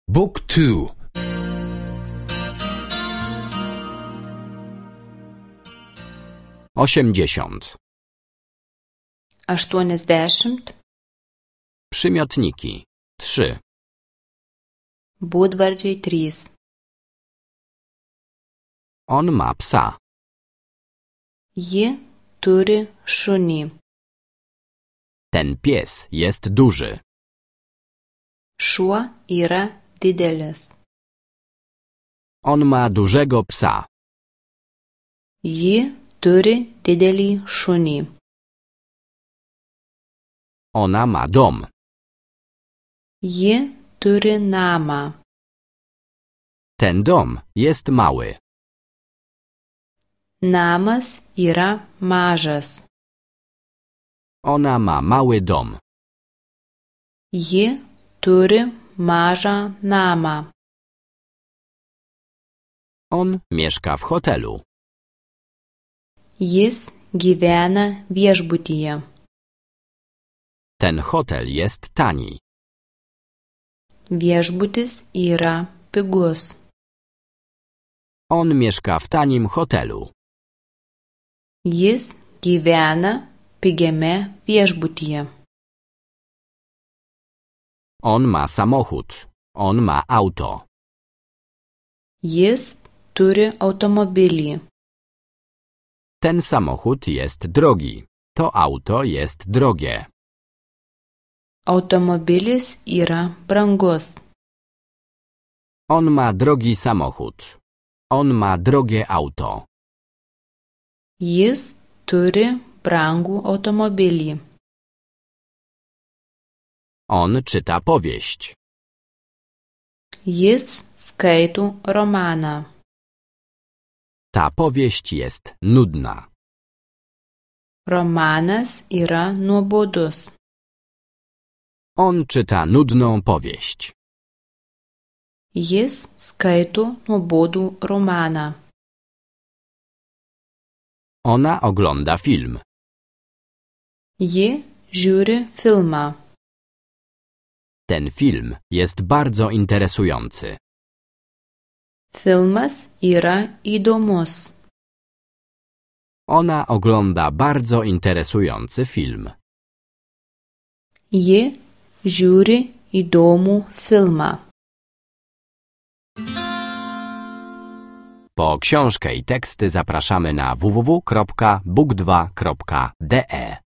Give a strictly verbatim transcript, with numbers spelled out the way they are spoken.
Book two. Osiemdziesiąt. Aštuoniasdešimt. Przymiotniki. Trzy. Būdvardžiai trys. On ma psa. Ji turi šunį. Ten pies jest duży. Šuo yra didelis. On ma dużego psa. Ji turi didelį šunį. Ona ma dom. Ji turi namą. Ten dom jest mały. Namas yra mažas. Ona ma mały dom. Ji turi mažą namą. On mieszka w hotelu. Jis gyvena viešbutyje. Ten hotel jest tani. Viešbutis yra pigus. On mieszka w tanim hotelu. Jis gyvena pigiame viešbutyje. On ma samochód. On ma auto. Jis turi automobilį. Ten samochód jest drogi. To auto jest drogie. Automobilis yra brangus. On ma drogi samochód. On ma drogie auto. Jis turi brangų automobilį. On czyta powieść. Jis skaito romaną. Ta powieść jest nudna. Romanas yra nuobodus. On czyta nudną powieść. Jis skaito nuobodų romaną. Ona ogląda film. Ji žiūri filmą. Ten film jest bardzo interesujący. Filmas yra įdomus. Ona ogląda bardzo interesujący film. Ji žiūri įdomų filmą. Po książkę i teksty zapraszamy na w w w kropka book dwa kropka d e.